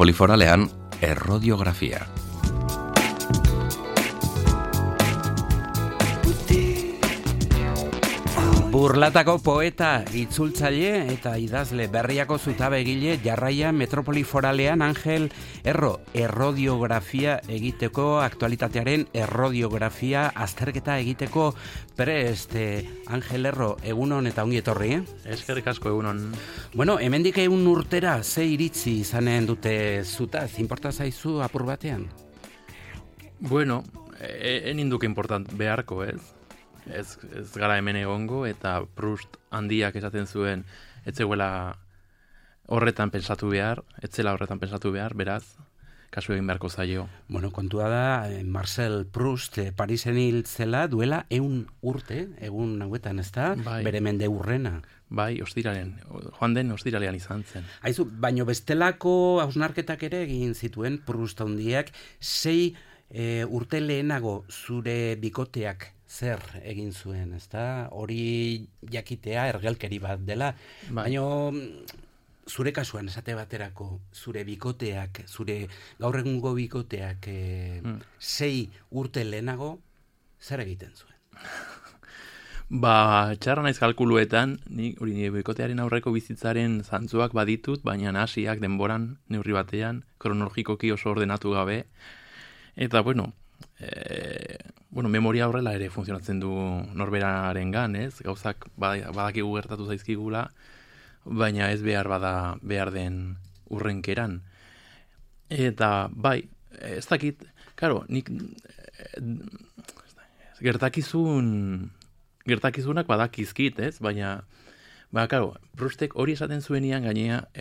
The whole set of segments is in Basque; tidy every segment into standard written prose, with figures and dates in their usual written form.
Metropoli Foralean errodiografia. Burlatako poeta, itzultzaile eta idazle berriako zutabegile Jarraian Metropoli Foralean Angel Erro errodiografia egiteko, aktualitatearen errodiografia azterketa egiteko prest. Angel Erro, egunon eta ongi etorri, Eskerrik asko egunon. Bueno, hemendik 1 urtera ze iritzi izanen dute zutaz, inporta zaizu apur batean? Bueno, eninduk important beharko, ez? Ez gara hemen egongo, eta Proust handiak esaten zuen etzela horretan pensatu behar, beraz, kasu egin beharko zaio. Bueno, kontua da, Marcel Proust Parisen hil zela duela 100 urte, egun hauetan, ez da? Bai. Bere mende urrena. Bai, joan den ostiralean izan zen. Aizu, baino bestelako hausnarketak ere egin zituen Proust handiak, 6 urte lehenago zure bikoteak zer egin zuen, ezta? Hori jakitea ergelkeri bat dela. Bai. Baina zure kasuan esate baterako, zure bikoteak, zure gaur egungo bikoteak 6 urte lehenago zer egiten zuen? Txarra naiz kalkuluetan, nire bikotearen aurreko bizitzaren zantzuak baditut, baina hasiak denboran, neurri batean, kronologikoki oso ordenatu gabe. Eta, memoria horrela ere funtzionatzen du norberarengan, ez? Gauzak badakigu gertatu zaizkigula, baina ez behar den urrenkeran. Eta, bai, ez dakit, karo, nik gertakizunak badakizkit, ez? Baina, karo, Proustek hori esaten zuenian gainea,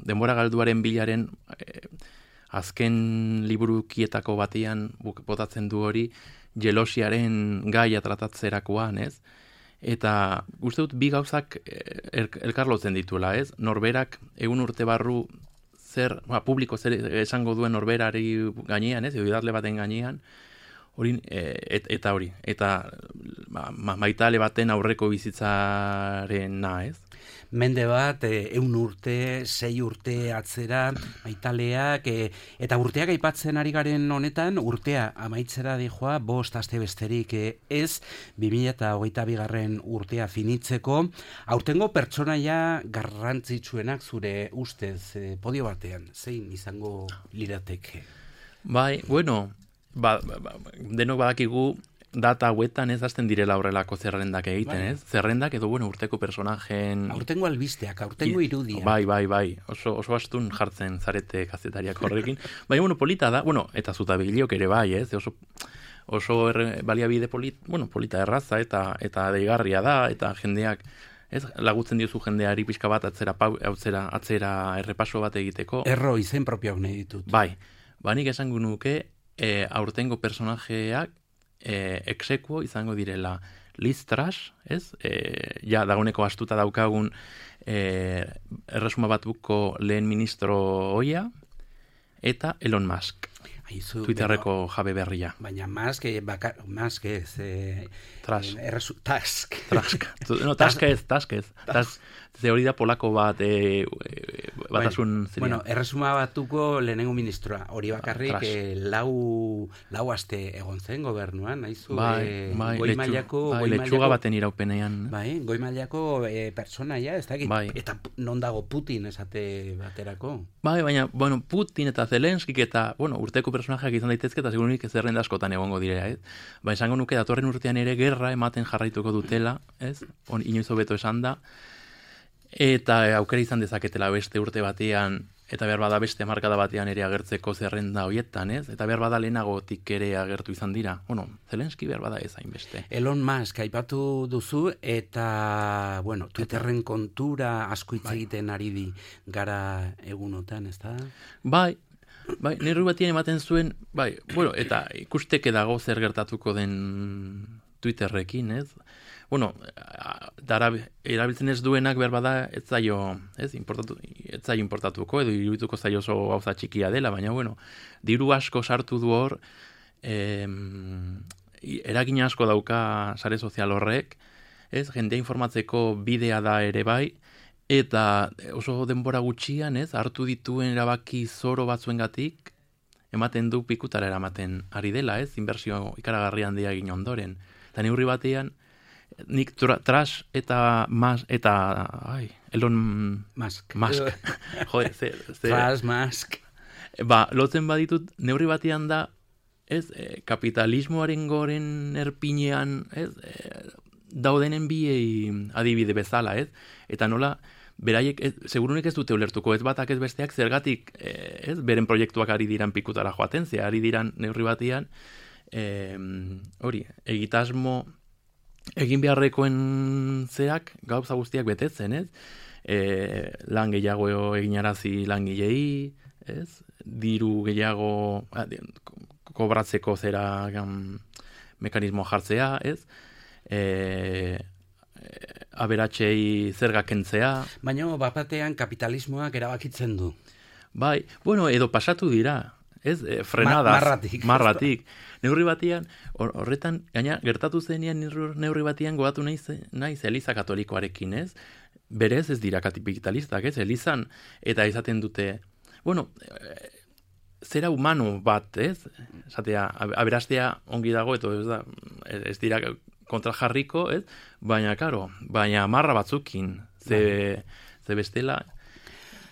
denbora galduaren bilaren azken liburukietako batean botatzen du hori jelosiaren gaia tratatzerakoan, ez? Eta uste dut bi gauzak elkarlotzen dituela, ez? Norberak 100 urte barru publiko zer esango duen norberari gainean, ez? Idazle baten gainean, eta maitale baten aurreko bizitzarena, ez? Mende bat, 100 urte, 6 urte atzera, maitaleak, eta urteak aipatzen ari garen honetan, urtea amaitzera dijoa, 5 aste besterik ez, 2022 urtea finitzeko, aurtengo pertsonaia garrantzitsuenak zure ustez, podio batean, zein izango lirateke? Bai, denok badakigu, data hauetan ez hasten direla horrelako zerrendak egiten, ez? Zerrendak edo, urteko personajen... Aurtengo albisteak, aurtengo irudia. Bai. Oso astun jartzen zarete kazetariak horrekin. Baina, polita da, eta zutabegileok ere bai, ez? Oso baliabide polita erraza eta deigarria da, eta jendeak, ez? Lagutzen diozu jendeari pixka bat atzera errepaso bat egiteko. Erro, izen propioak nahi ditut. Bai, nik esango nuke aurtengo personajeak exekuo izango direla Liz Truss, ez? Dagoeneko astuta daukagun erresuma batuko lehen ministro ohia, eta Elon Musk, Twitterreko jabe berria. Baina Musk ez... Tusk. Tusk ez. Ze hori da polako bat batasun ziren. Erresuma batuko lehenengo ministroa, hori bakarrik lau aste egon zen gobernuan, nahizu, goi mailako... Letxuga baten iraupenean. Bai, goi mailako pertsonaia, ez dakit, eta non dago Putin esate baterako. Bai, baina, Putin eta Zelenskik eta, urteko personajeak izan daitezke, eta segurunik zerrenda askotan egongo direla, ez? Esango nuke datorren urtean ere gerra ematen jarraituko dutela, ez? Inoiz hobeto esan da. Eta aukera izan dezaketela beste urte batean, eta behar bada beste markada batean ere agertzeko zerrenda hoietan, ez? Eta behar bada lehenagotik ere agertu izan dira. Zelenski behar bada ez hainbeste. Elon Musk aipatu duzu, eta, Twitterren kontura asko hitz egiten ari di gara egunotan, ez da? Bai, nire batien ematen zuen, eta ikusteke dago zer gertatuko den Twitterrekin, ez? Erabiltzen ez duenak behar bada ez zaio importatuko, edo irudituko zaio oso gauza txikia dela, baina, diru asko sartu du hor, eragin asko dauka sare sozial horrek, ez, jendea informatzeko bidea da ere bai, eta oso denbora gutxian, ez, hartu dituen erabaki zoro batzuengatik, ematen du pikutara eramaten ari dela, ez, inbertsio ikaragarri handia egin ondoren. Eta neurri batean, nik trash eta Elon Musk. Joder, Trash, Musk. Lotzen baditut, neurri batean da, ez, kapitalismoaren goren erpinean, ez, daudenen biei adibide bezala, ez, eta nola, beraiek, segurunik ez dute ulertuko, ez batak ez besteak, zergatik, ez, beren proiektuak ari diran pikutara joaten, ze ari diran neurri batean, hori, egitasmo, egin beharrekoen zeak gauza guztiak betetzen, ez? Lan gehiago eginarazi langilei, ez? Diru gehiago kobratzeko zera mekanismo jartzea, ez? Aberatsei zerga kentzea. Baina bapatean kapitalismoak erabakitzen du. Bai, bueno, edo pasatu dira, ez? Frenadaz. Marratik. Neurri batian, horretan, gaina, gertatu zenean neurri batian goatu naiz Eliza Katolikoarekin, ez? Berez ez dira kapitalistak, ez? Elizan, eta izaten dute, bueno, zera humano bat, ez? Esatea, aberastea ongi dago, ez dira kontrajarriko, ez? Baina, karo, marra batzukin, ze bestela,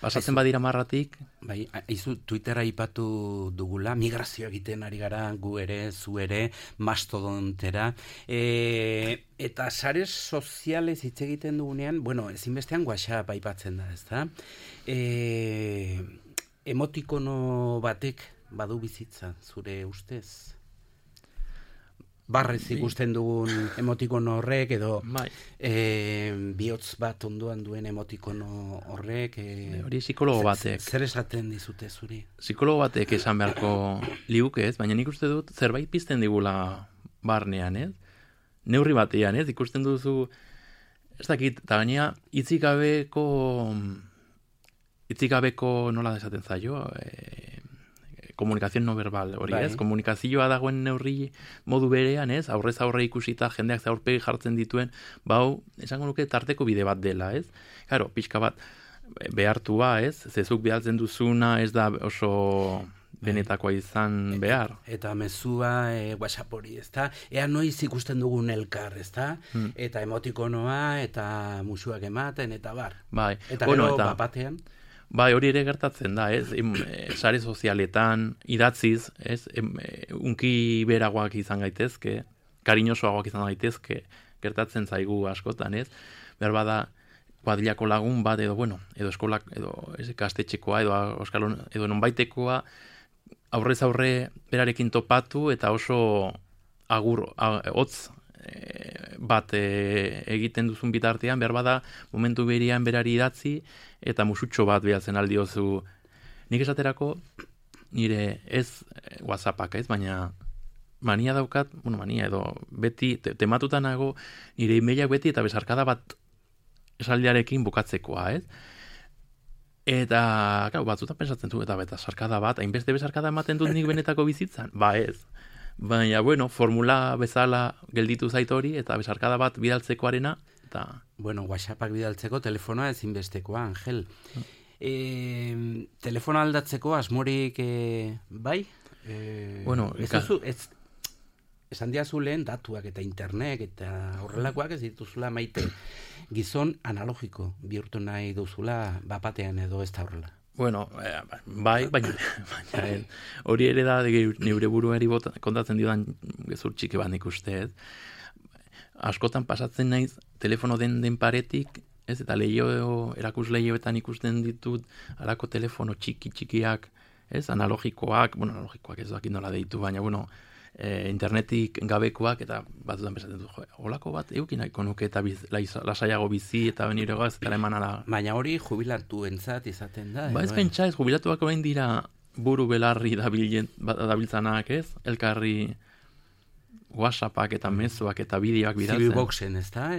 pasatzen badira marratik. Bai, izu Twittera aipatu dugula, migrazio egiten ari gara, gu ere, zu ere, mastodontera, eta sare sozialez hitz egiten dugunean, bueno, ezinbestean WhatsApp aipatzen da, ezta? Emotikono batek badu bizitza, zure ustez? Barrez ikusten dugun emotikono horrek, edo bihotz bat ondoan duen emotikono horrek. Hori psikologo batek. Zer esaten dizute zuri? Psikologo batek esan beharko liuke, ez? Baina nik uste dut zerbait pizten digula barnean, ez? Neurri batean, ez? Ikusten duzu, ez dakit, eta gaina itzikabeko nola esaten zaio, komunikazio no verbal, hori, ez? Komunikazioa dagoen neurri modu berean, ez? Aurrez aurre ikusita, jendeak aurpegi jartzen dituen, esango nuke tarteko bide bat dela, ez? Claro, pixka bat behartua, ez? Zezuk bidaltzen duzuna ez da oso benetakoa izan behar. Eta mezua WhatsApp hori, ezta? Ea noiz ikusten dugun elkar, ezta? Eta emotikonoa, eta musuak ematen, eta bar. Bai. Eta gero bapatean? Bai, hori ere gertatzen da, ez? Sare sozialetan, idatziz, ez? Unki beragoak izan gaitezke, kariñosoagoak izan gaitezke, gertatzen zaigu askotan, ez? Berbada, kuadrilako lagun bat, edo eskolak, edo ikastetxekoa, edo nonbaitekoa, aurrez aurre berarekin topatu, eta oso hotz bat egiten duzun bitartean, berbada, momentu berian berari idatzi, eta musutxo bat behatzen aldiozu. Nik esaterako, nire ez WhatsAppak, ez, baina mania daukat, mania edo beti tematuta nago, nire emailak beti eta besarkada bat esaldiarekin bukatzekoa, ez? Eta, batzutan pensatzen du, eta besarkada bat, hainbeste besarkada ematen dut nik benetako bizitzan? Ba ez. Baina, formula bezala gelditu zait hori, eta besarkada bat bidaltzekoarena, eta... Bueno, WhatsAppak bidaltzeko telefonoa ezinbestekoa, Angel. Telefono aldatzeko asmorik bai? Esan diazu lehen datuak eta internet eta horrelakoak ez dituzula maite. Gizon analogiko bihurtu nahi duzula bapatean edo ez da horrela. Bai, baina hori ere da neure buruari kontatzen diodan gezur txiki bat ikuste, ez? Askotan pasatzen naiz telefono den paretik, ez? Eta erakus lehioetan ikusten ditut alako telefono txikiak, ez? Analogikoak ez dakit nola deitu, baina, internetik gabekoak, eta batzutan pesatzen dut, holako bat eukin nahiko nuke eta lasaiago bizi eta nire goaz eta emanara. Baina hori jubilatu entzat izaten da. Ez pentsa ez, jubilatuak orain dira buru belarri dabiltzanak, ez? Elkarri WhatsAppak eta mezuak eta bideoak bidaltzen. Zibiboxen, ez da?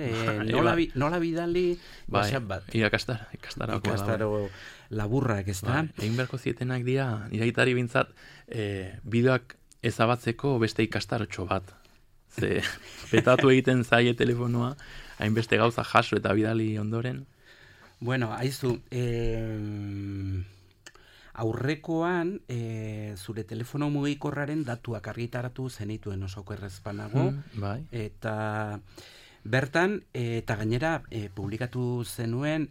Nola bidali WhatsApp bat? Ikastaro laburrak, ez da? Egin beharko zietenak dira, iraitari bintzat, bideoak ezabatzeko beste ikastarotxo bat. Ze, petatu egiten zaie telefonoa, hainbeste gauza jaso eta bidali ondoren. Bueno, haizu, aurrekoan zure telefono mugikorraren datuak argitaratu zenituen osoko errezpanago, Bai. eta bertan, eta gainera publikatu zenuen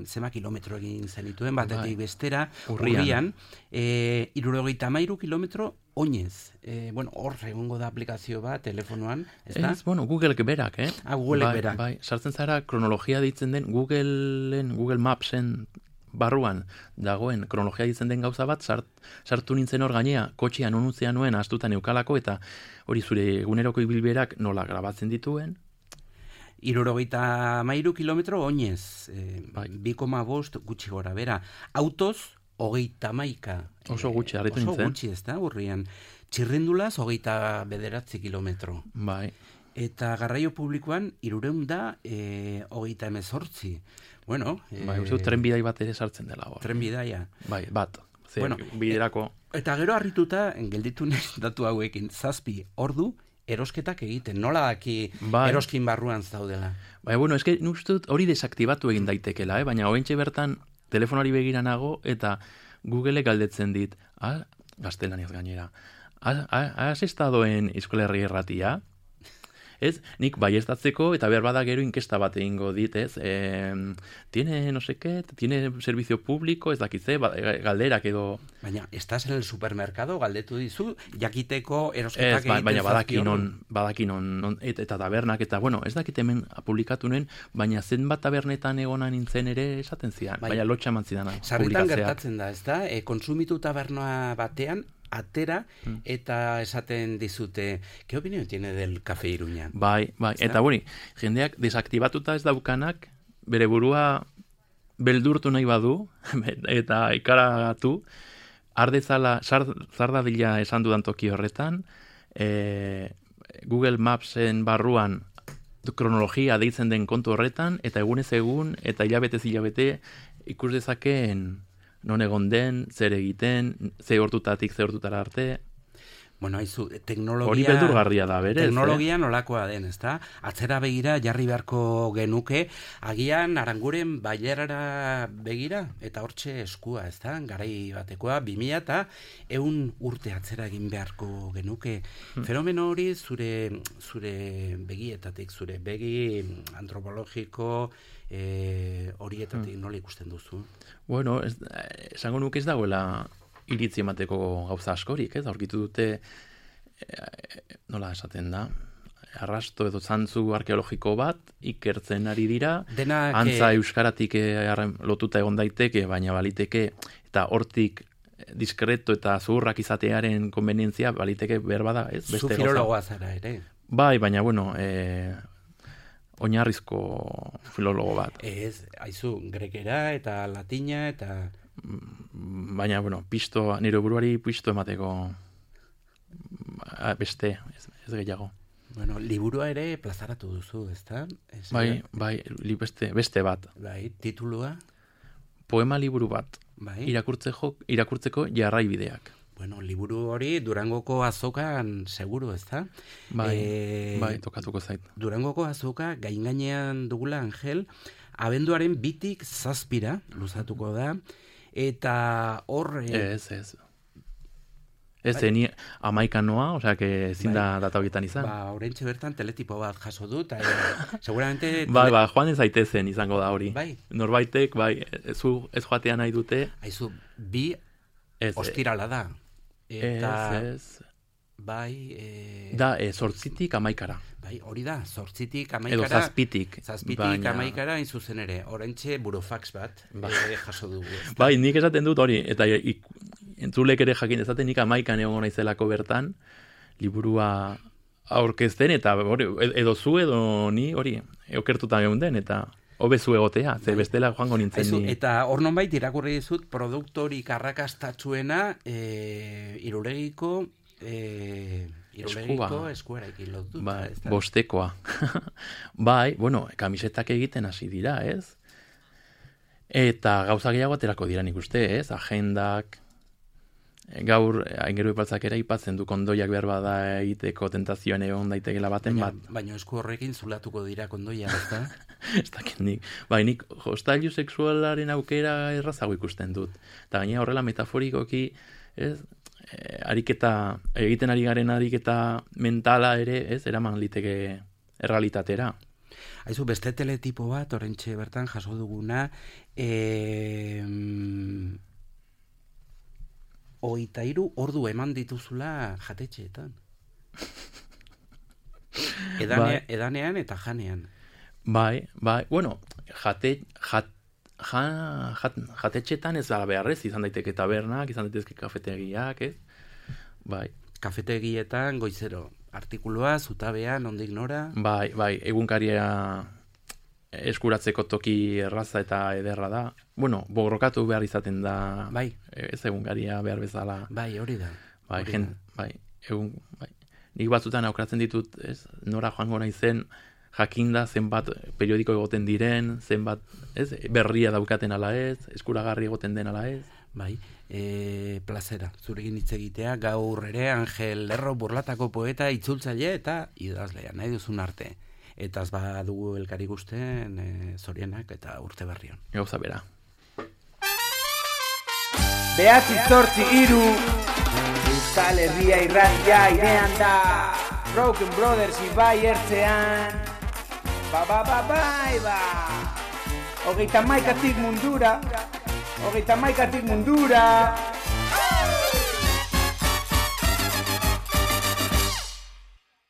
zema kilometro egin zenituen, batetik bestera, urrian, 73 kilometro oinez. Bueno, hor egongo da aplikazio bat telefonoan, ez da? Ez, bueno, Googleek berak, Googleek berak. Bai, sartzen zara kronologia ditzen den Google Mapsen barruan dagoen kronologia ditzen den gauza bat, sartu nintzen hor gainea, kotxean onutzea nuen astutan eukalako, eta hori zure eguneroko ibilberak nola grabatzen dituen. 73 kilometro oinez, Bai. 2,5 gutxi gora bera. Autoz, 31. Oso gutxi, harritu nintzen. Oso gutxi, ez da, urrian. Txirrindulaz, 29 kilometro. Bai. Eta garraio publikoan, 318. Bueno. Bai, uste dut trenbidai bat ere sartzen dela hor. Trenbidaia. Bai, bat. Ze, Bueno, biderako... Eta gero harrituta, gelditu naiz datu hauekin, 7 ordu, erosketak egiten. Nola daki Bai. eroskin barruan zaudela? Bai, bueno, eske nik uste dut hori desaktibatu egin daitekela, baina oraintxe bertan telefonari begira nago eta Google galdetzen dit, gaztelaniaz gainera, has estado en Euskal Herria Irratia? Ez, nik baiestatzeko eta behar bada gero inkesta bat egingo dit, ez? Tiene no sé qué, tiene servicio público, ez dakitze, galderak edo... Baina, estás en el supermercado, galdetu dizu, jakiteko erosketak egiten baina zazpion. badaki non, eta tabernak, eta bueno, ez dakit hemen publikatu nuen, baina zenbat tabernetan egona nintzen ere esaten zidan, baina lotxa eman zidana. Sarritan gertatzen da, ez da? Konsumitu taberna batean, atera, eta esaten dizute, ¿qué opinión tiene del Café Iruña? Bai, eta hori, jendeak desaktibatuta ez daukanak, bere burua beldurtu nahi badu, eta ikaragatu, ardezala, zardadila esan dudan toki horretan, Google Mapsen barruan kronologia deitzen den kontu horretan, eta egunez egun, eta hilabetez hilabete, ikus dezakeen non egon den, zer egiten, ze hortutatik, ze hortutara arte... Bueno, haizu, teknologia... Hori beldurgarria da, berez. Teknologia nolakoa den, ezta? Atzera begira, jarri beharko genuke, agian Aranguren bailerara begira, eta hortxe eskua, ezta? Garai batekoa, 2000 eta 100 urte atzera egin beharko genuke. Fenomeno hori zure begietatik, zure begi antropologiko horietatik nola ikusten duzu? Bueno, esango nuke ez dagoela iritzi emateko gauza askorik, ez? Aurkitu dute, nola esaten da, arrasto edo zantzu arkeologiko bat, ikertzen ari dira, antza euskaratik lotuta egon daiteke, baina baliteke, eta hortik diskreto eta zuhurrak izatearen konvenientzia baliteke berbada, ez? Zu filologoa zara ere. Bai, baina, bueno, oinarrizko filologo bat. Ez, haizu, grekera eta latina eta... Baina, bueno, nire buruari pisto emateko beste, ez gehiago. Bueno, liburua ere plazaratu duzu, ezta? Bai, beste bat. Bai, titulua? Poema liburu bat. Bai. Irakurtzeko jarraibideak. Bueno, liburu hori Durangoko azokan seguru, ezta? Bai, tokatuko zait. Durangoko azoka gainean dugula, Angel, abenduaren 2tik 7 luzatuko da, eta hor... Ez. Ez, ni 11 noa, osea, que ezin da data horietan izan. Oraintxe bertan teletipo bat jaso dut, seguramente... Bai, joan ez zaitezen izango da hori. Bai. Norbaitek, ez joatea nahi dute. Haizu, 2 ostirala da. Eta... Ez. Bai... Da, 8tik 11. Bai, hori da, 8tik 11. Edo 7tik. 7tik 11 hain zuzen ere, oraintxe burofax bat jaso dugu. Bai, nik esaten dut hori, eta entzulek ere jakin ezaten nik 11 egon naizelako bertan, liburua aurkezten, eta edo zu edo ni hori, okertuta geunden, eta hobezu egotea, ze bestela joango nintzen ni. Eta hor nonbait irakurri dizut, produktorik arrakastatsuena Irulegiko eskuarekin lotuta. Bai, bostekoa. Bai, bueno, kamisetak egiten hasi dira, ez? Eta gauza gehiago aterako dira nik uste, ez? Agendak, gaur Aingeru Epaltzak ere aipatzen du kondoiak behar bada egiteko tentazioan egon daitekela baten bat. Baina esku horrekin zulatuko dira kondoia, ezta? Ez dakit nik. Nik jostailu sexualaren aukera errazago ikusten dut. Eta gainera horrela metaforikoki, ez, ariketa, egiten ari garen ariketa mentala ere, ez, eraman liteke errealitatera. Aizu, beste teletipo bat, orentxe bertan jaso duguna, 23 ordu eman dituzula jatetxeetan. Edanean eta janean. Bai, bueno, jatetxetan ez dara beharrez, izan daiteke tabernak, izan daitezke kafetegiak, ez? Bai. Kafetegietan, goizero, artikulua, zutabea, nondik nora? Bai, egunkaria eskuratzeko toki erraza eta ederra da. Bueno, borrokatu behar izaten da. Bai. Ez egunkaria behar bezala. Bai, hori da. Nik batzutan aukeratzen ditut, ez, nora joango naizen, jakinda zenbat periodiko egoten diren, zenbat, ez, berria daukaten ala ez, eskuragarri egoten den ala ez. Bai, plazera, zurekin hitz egitea, gaur ere Angel Lerro Burlatako poeta, itzultzaile eta idazlea, nahi duzun arte. Eta ez badugu elkari gusten, zorionak eta urte berrion. Gauza bera. Behatzi zortzi iru, Euskal Herria irratia irean da, Broken Brothers ibai ertzean, bai. Hogeita maikatik mundura,